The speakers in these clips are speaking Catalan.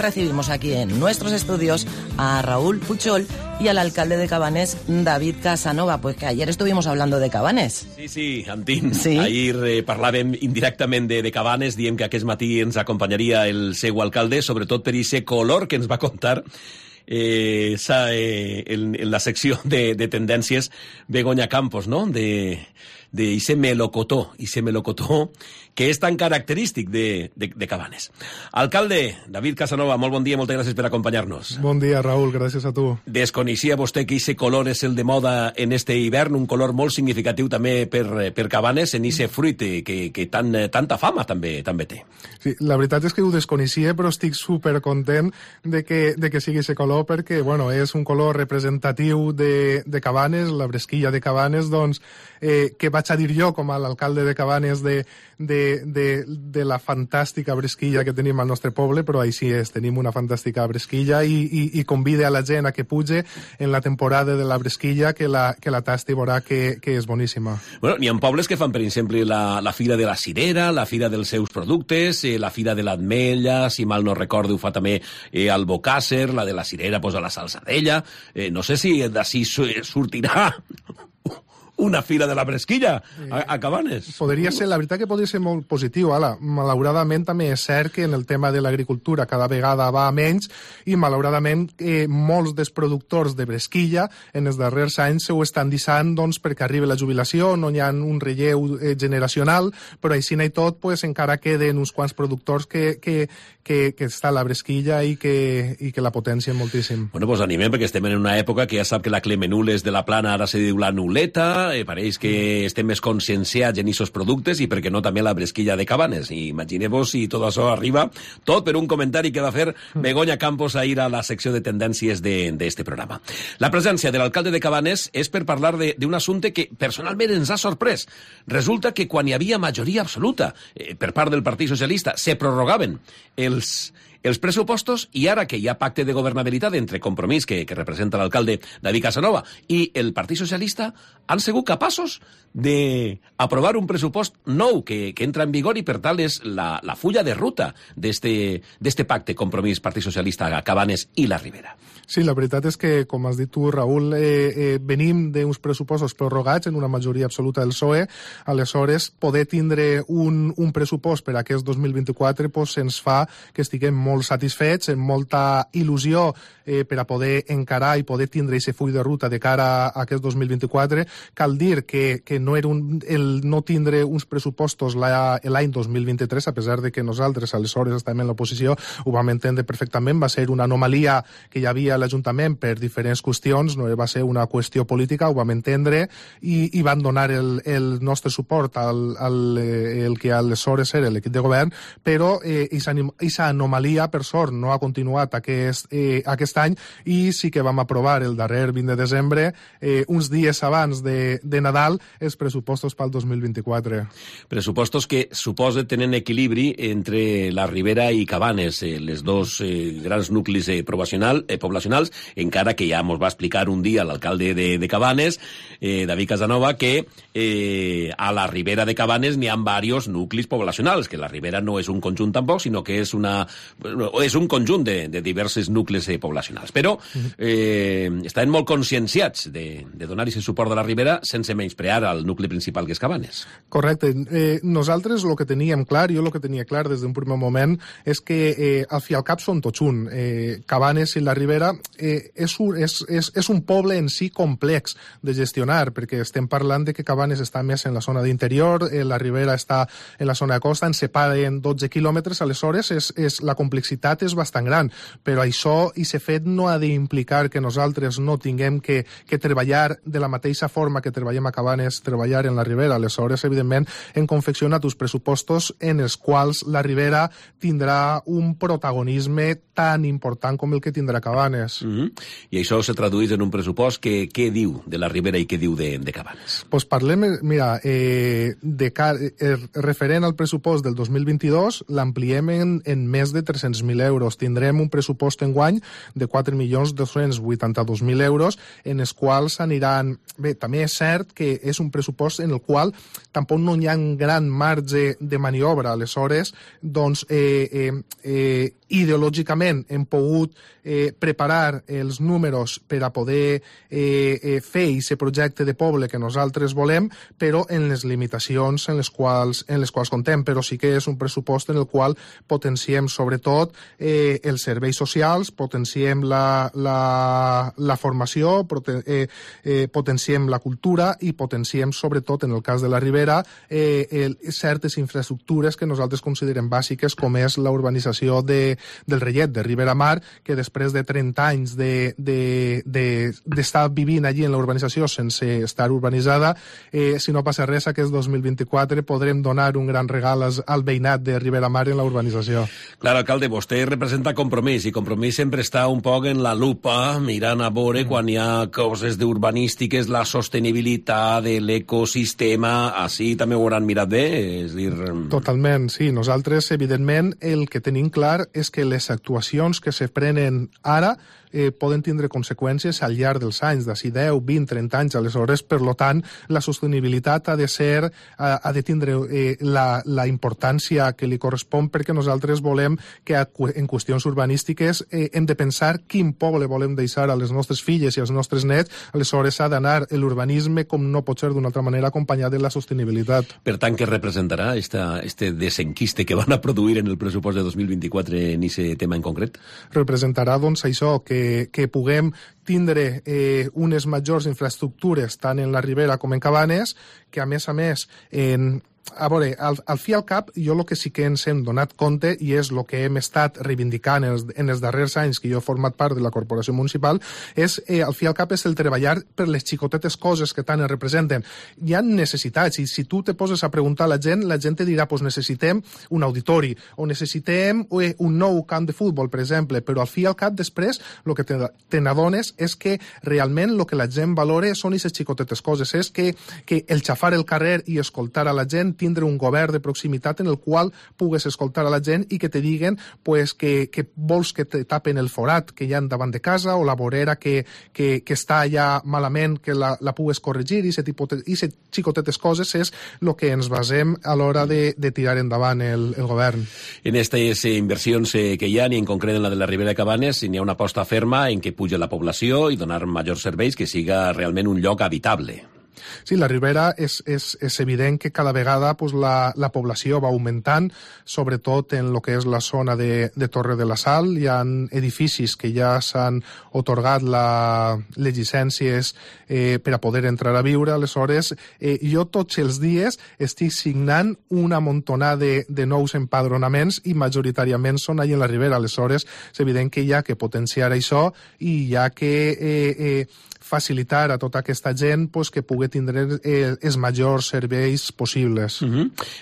recibimos aquí en nuestros estudios a Raúl Puchol y al alcalde de Cabanes, David Casanova, pues que ayer estuvimos hablando de Cabanes. Sí, Antín. Sí. Ahir parlàvem indirectament de Cabanes, diem que aquest matí ens acompanyaria el seu alcalde, sobretot per aquest color que ens va contar en la secció de tendències Begoña Campos, no? de ese melocotó que és tan característic de Cabanes. Alcalde, David Casanova, molt bon dia, moltes gràcies per acompanyar-nos. Bon dia, Raúl, gràcies a tu. Desconeixia vostè que ese color és el de moda en este hivern, un color molt significatiu també per Cabanes, en ese fruit que tanta fama també té. Sí, la veritat és que ho desconeixia, però estic supercontent de que sigui ese color, perquè bueno, és un color representatiu de Cabanes, la bresquilla de Cabanes, doncs, que vaig a dir jo com a l'alcalde de Cabanes de la fantàstica bresquilla que tenim al nostre poble, però així és, tenim una fantàstica bresquilla i convide a la gent a que puge en la temporada de la bresquilla, que la tasti i veurà que és boníssima. Bueno, n'hi ha pobles que fan, per exemple, la Fira de la Cirera, la Fira dels seus productes, la Fira de l'Ametlla, si mal no recordo, ho fa també Albocàsser, la de la Cirera, pues, a la Salzadella. No sé si d'ací sortirà una fira de la bresquilla a Cabanes. Podria ser, la veritat que podria ser molt positiu. Ara, malauradament també és cert que en el tema de l'agricultura cada vegada va a menys i malauradament molts dels productors de bresquilla en els darrers anys ho estan deixant doncs, perquè arribi la jubilació, no hi ha un relleu generacional, però així i tot pues, encara queden uns quants productors que està a la bresquilla i que la potencien moltíssim. Bueno, pues animem, perquè estem en una època que ja sap que la Clemenules de la Plana ara se diu la Nuleta, pareix que estem més conscienciats en aquests productes i, per què no, també la bresquilla de Cabanes. Imagineu-vos si tot això arriba, tot per un comentari que va fer Begoña Campos ahir a la secció de tendències d'este programa. La presència de l'alcalde de Cabanes és per parlar d'un assumpte que personalment ens ha sorprès. Resulta que quan hi havia majoria absoluta per part del Partit Socialista se prorrogaven els pressupostos i ara que hi ha pacte de governabilitat entre Compromís, que representa l'alcalde David Casanova, i el Partit Socialista, han sigut capaços d'aprovar un pressupost nou que entra en vigor i per tal és la fulla de ruta d'este pacte Compromís Partit Socialista a Cabanes i la Ribera. Sí, la veritat és que, com has dit tu, Raül, venim d'uns pressupostos prorrogats en una majoria absoluta del PSOE. Aleshores, poder tindre un pressupost per a aquest 2024 pues, ens fa que estiguem molt satisfets, amb molta il·lusió per a poder encarar i poder tindre aquest full de ruta de cara a aquest 2024. Cal dir que no era el no tindre uns pressupostos l'any 2023, a pesar de que nosaltres aleshores estàvem en l'oposició, ho vam entendre perfectament, va ser una anomalia que hi havia a l'Ajuntament per diferents qüestions, no va ser una qüestió política, ho vam entendre i van donar el nostre suport al que aleshores era l'equip de govern, però aquesta anomalia, per sort, no ha continuat aquest any i sí que vam aprovar el darrer 20 de desembre, uns dies abans de Nadal, els pressupostos pel 2024. Pressupostos que suposa tenen equilibri entre la Ribera i Cabanes, les dos grans nuclis poblacionals, encara que ja ens va explicar un dia l'alcalde de Cabanes, David Casanova, que a la Ribera de Cabanes n'hi ha diversos nuclis poblacionals, que la Ribera no és un conjunt tampoc, sinó que és un conjunt de diversos nuclis poblacionals. Però estaven molt conscienciats de donar aquest suport de la Ribera sense menysprear al nucli principal que és Cabanes. Correcte. Nosaltres el que teníem clar, jo el que tenia clar des d'un primer moment, és que al fi al cap són tots un. Cabanes i la Ribera és un poble en si complex de gestionar, perquè estem parlant de que Cabanes està més en la zona d'interior, la Ribera està en la zona de costa, ens separen 12 quilòmetres, aleshores la complexitat és bastant gran, però això i ser fet no ha d'implicar que nosaltres no tinguem que treballar de la mateixa forma que treballem a Cabanes, treballar en la Ribera. Aleshores, evidentment, hem confeccionat uns pressupostos en els quals la Ribera tindrà un protagonisme tan important com el que tindrà Cabanes. I això se tradueix en un pressupost que què diu de la Ribera i què diu de Cabanes? Pues parlem, mira, referent al pressupost del 2022, l'ampliem en més de 300 200.000 euros. Tindrem un pressupost enguany de 4.282.000 euros, en els quals aniran... Bé, també és cert que és un pressupost en el qual tampoc no hi ha un gran marge de maniobra. Aleshores, doncs, ideològicament hem pogut preparar els números per a poder fer aquest projecte de poble que nosaltres volem, però en les limitacions en les quals contem. Però sí que és un pressupost en el qual potenciem sobretot els serveis socials, potenciem la formació, potenciem la cultura i potenciem sobretot, en el cas de la Ribera, certes infraestructures que nosaltres considerem bàsiques, com és la urbanització del Rellet, de Ribera Mar, que després de 30 anys d'estar vivint allí en la urbanització sense estar urbanitzada, si no passa res, aquest 2024 podrem donar un gran regal al veïnat de Ribera Mar en la urbanització. Clar, alcalde, vostè representa Compromís, i Compromís sempre està un poc en la lupa, mirant a veure quan hi ha coses d'urbanístiques, la sostenibilitat de l'ecosistema, així també ho hauran mirat bé? És dir... Totalment, sí. Nosaltres, evidentment, el que tenim clar és que les actuacions que se prenen ara poden tindre conseqüències al llarg dels anys, d'ací 10, 20, 30 anys. Aleshores, per tant, la sostenibilitat ha de tindre la importància que li correspon, perquè nosaltres volem que en qüestions urbanístiques hem de pensar quin poble volem deixar a les nostres filles i als nostres nets. Aleshores, ha d'anar l'urbanisme, com no pot ser d'una altra manera, acompanyat de la sostenibilitat. Per tant, què representarà este desenquiste que van a produir en el pressupost de 2024 en aquest tema en concret? Representarà, doncs, això, que puguem tindre unes majors infraestructures tant en la Ribera com en Cabanes, que a més, a veure, al fi al cap, jo el que sí que ens hem donat compte, i és el que hem estat reivindicant en els darrers anys que jo he format part de la corporació municipal, és, al fi al cap, és el treballar per les xicotetes coses que tant es representen. Hi ha necessitats, i si tu te poses a preguntar a la gent te dirà, pues necessitem un auditori, o necessitem un nou camp de futbol, per exemple, però al fi al cap, després, el que te n'adones és que realment el que la gent valora són aquestes xicotetes coses, és que el xafar el carrer i escoltar a la gent, tindre un govern de proximitat en el qual pugues escoltar a la gent i que te diguen pues, que vols que te tapen el forat que hi ha davant de casa, o la vorera que està allà malament, que la pugues corregir, i aquestes xicotetes coses és el que ens basem a l'hora de tirar endavant el govern. En aquestes inversions que hi ha, i en concret en la de la Ribera de Cabanes, hi ha una aposta ferma en què puja la població i donar majors serveis, que siga realment un lloc habitable. Sí, la Ribera és evident que cada vegada pues, la població va augmentant, sobretot en el que és la zona de Torre de la Sal. Hi ha edificis que ja s'han atorgat les llicències per a poder entrar a viure. Aleshores, jo tots els dies estic signant una montonada de nous empadronaments i majoritàriament són allà en la Ribera. Aleshores, és evident que hi ha que potenciar això i hi ha que facilitar a tota aquesta gent pues, que pugui tindre els majors serveis possibles.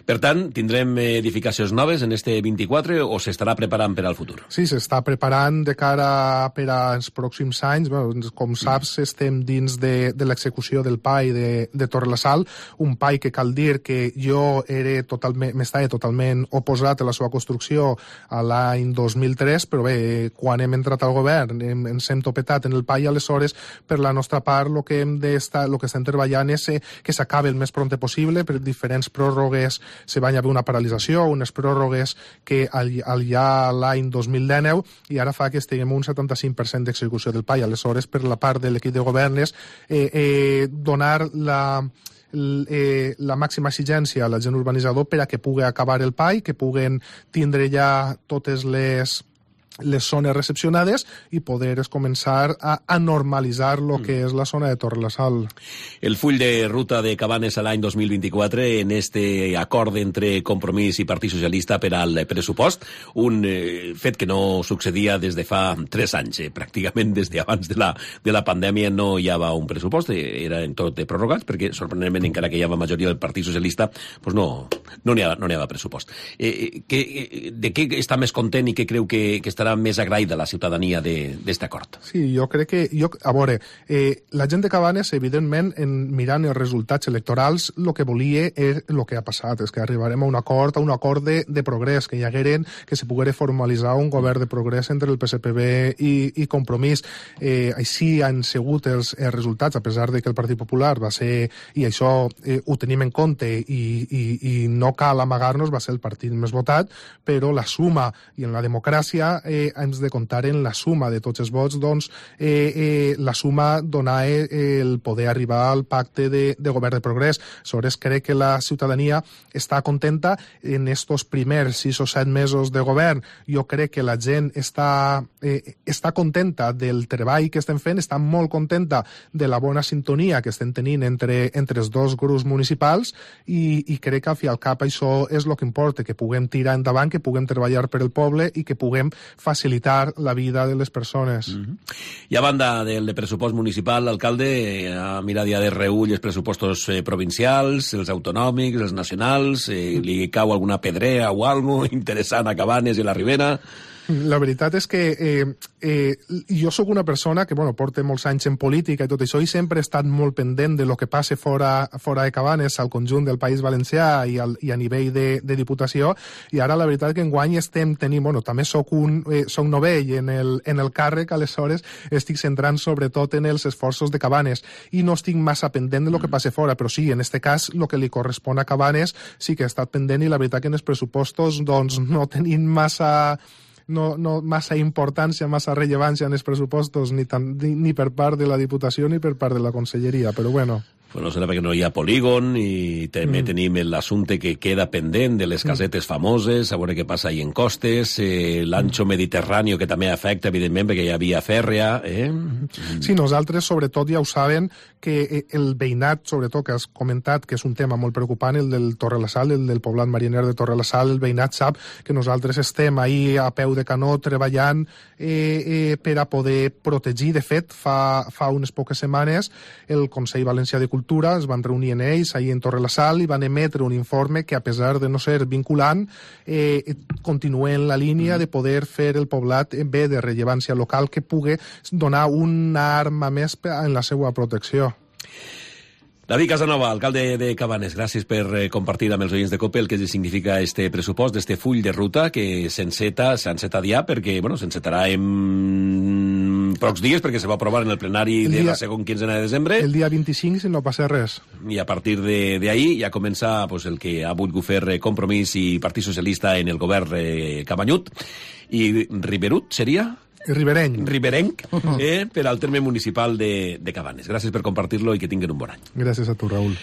Per tant, tindrem edificacions noves en este 24 o s'estarà preparant per al futur? Sí, s'està preparant de cara per als pròxims anys. Bueno, com saps, estem dins de l'execució del PAI de Torre la Sal, un PAI que cal dir que jo m'estava totalment oposat a la seva construcció a l'any 2003, però bé, quan hem entrat al govern ens hem topetat en el PAI. Aleshores, per la nostra part, el que estem treballant és que s'acabi el més prompte possible. Per diferents pròrrogues se van haver una paralització, unes pròrrogues que ja l'any 2019, i ara fa que estiguem un 75% d'execució del PAI. Aleshores, per la part de l'equip de govern és donar la màxima exigència a l'agent urbanitzador per a que pugui acabar el PAI, que puguen tindre ja totes les zones recepcionades i poder començar a normalitzar el que és la zona de Torre la Sal. El full de ruta de Cabanes a l'any 2024 en este acord entre Compromís i Partit Socialista per al pressupost, un fet que no succedia des de fa 3 anys, pràcticament des d'abans de la pandèmia no hi havia un pressupost, eren tot prorrogats, perquè sorprenentment encara que hi havia majoria del Partit Socialista, pues no n'hi havia pressupost. De què està més content i què creu que estarà estarà més agraïda la ciutadania d'este acord. Sí, jo crec que... A veure, la gent de Cabanes, evidentment, mirant els resultats electorals, el que volia és el que ha passat, és que arribarem a un acord de progrés, que hi hagueren, que se poguera formalitzar un govern de progrés entre el PSPB i Compromís. Així han sigut els resultats, a pesar de que el Partit Popular va ser, i això ho tenim en compte, i no cal amagar-nos, va ser el partit més votat, però la suma, i en la democràcia hem de comptar en la suma de tots els vots, doncs la suma donava el poder arribar al pacte de govern de progrés. Aleshores, crec que la ciutadania està contenta en estos primers 6 o 7 mesos de govern. Jo crec que la gent està contenta del treball que estem fent, està molt contenta de la bona sintonia que estem tenint entre els dos grups municipals i crec que al fi al cap això és el que importa, que puguem tirar endavant, que puguem treballar per el poble i que puguem facilitar la vida de les persones. I a banda del pressupost municipal, l'alcalde ha mirat ja de reull els pressupostos provincials, els autonòmics, els nacionals, li cau alguna pedrea o alguna cosa interessant a Cabanes i a la Ribera? La veritat és que jo sóc una persona que porta molts anys en política i tot això, i sempre he estat molt pendent de lo que passa fora de Cabanes, al conjunt del País Valencià i a nivell de Diputació, i ara la veritat que enguany també soc novell en el càrrec, aleshores estic centrant sobretot en els esforços de Cabanes i no estic massa pendent de lo que passa fora, però sí, en este cas, el que li correspon a Cabanes sí que he estat pendent, i la veritat que en els pressupostos doncs no tenim massa importància, massa rellevància en els pressupostos, ni per part de la Diputació ni per part de la Conselleria, però bueno. No serà perquè no hi ha polígon, i també tenim l'assumpte que queda pendent de les casetes famoses, a veure què passa ahí en Costes, l'ancho mediterrani, que també afecta, evidentment, perquè hi ha via fèrrea. Sí, nosaltres, sobretot, ja ho saben, que el veïnat, sobretot, que has comentat, que és un tema molt preocupant, el del Torrelasal, el del poblat mariner de Torrelasal, el veïnat sap que nosaltres estem ahí a peu de canó treballant per a poder protegir. De fet, fa unes poques setmanes, el Consell Valencià de Cultura es van reunir en ells ahir en Torrelasal i van emetre un informe que, a pesar de no ser vinculant, continua en la línia de poder fer el poblat bé de rellevància local, que pugui donar una arma més en la seva protecció. David Casanova, alcalde de Cabanes, gràcies per compartir amb els oients de COPE el que significa este pressupost, este full de ruta que s'enceta ja, perquè s'encetarà en pocs dies, perquè se va aprovar en el plenari de la segona quinzena de desembre. El dia 25, si no passa res. I a partir d'ahir ja comença el que ha volgut fer Compromís i Partit Socialista en el govern Cabanyut. I Riberut seria? Riberenc, per al terme municipal de Cabanes. Gràcies per compartir-lo i que tinguin un bon any. Gràcies a tu, Raül.